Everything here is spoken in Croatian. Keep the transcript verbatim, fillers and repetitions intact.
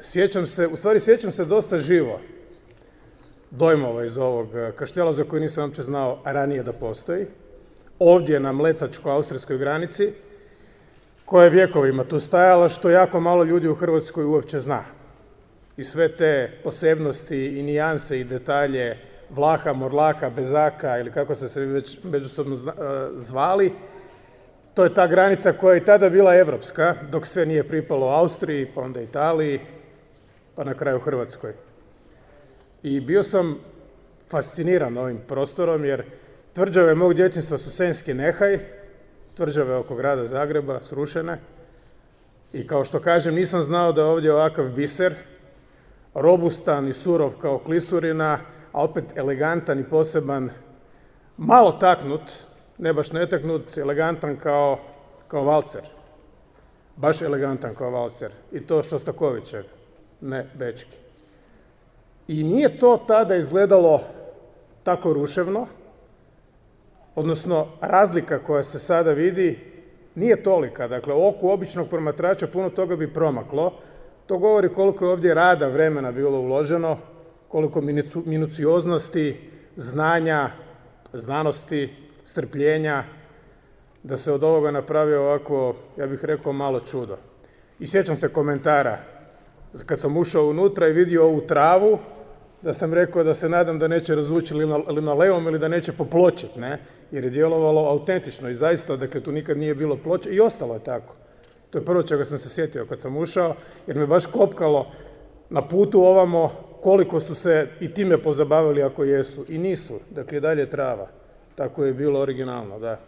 sjećam se, u stvari sjećam se dosta živo dojmova iz ovog kaštela za koji nisam uopće znao ranije da postoji. Ovdje na mletačko-austrijskoj granici, koja je vjekovima tu stajala, što jako malo ljudi u Hrvatskoj uopće zna. I sve te posebnosti i nijanse i detalje Vlaha, Morlaka, Bezaka ili kako ste se već međusobno zvali, to je ta granica koja je i tada bila evropska, dok sve nije pripalo Austriji, pa onda Italiji, pa na kraju Hrvatskoj. I bio sam fasciniran ovim prostorom, jer tvrđave mog djetinjstva su Senjski Nehaj, tvrđave oko grada Zagreba, srušene. I kao što kažem, nisam znao da je ovdje ovakav biser, robustan i surov kao klisurina, a opet elegantan i poseban, malo taknut, ne baš netaknut, elegantan kao, kao valcer. Baš elegantan kao valcer. I to Šostakovićev, ne bečki. I nije to tada izgledalo tako ruševno, odnosno razlika koja se sada vidi nije tolika. Dakle, oku običnog promatrača puno toga bi promaklo. To govori koliko je ovdje rada, vremena bilo uloženo, koliko minucioznosti, znanja, znanosti, strpljenja, da se od ovoga napravio ovako, ja bih rekao, malo čudo. I sjećam se komentara, kad sam ušao unutra i vidio ovu travu, da sam rekao da se nadam da neće razvući linoleum ili da neće popločiti, ne? Jer je djelovalo autentično i zaista, dakle, tu nikad nije bilo ploče i ostalo je tako. To je prvo čega sam se sjetio kad sam ušao, jer me baš kopkalo na putu ovamo koliko su se i time pozabavili ako jesu. I nisu, dakle, i dalje trava. Tako je bilo originalno, da.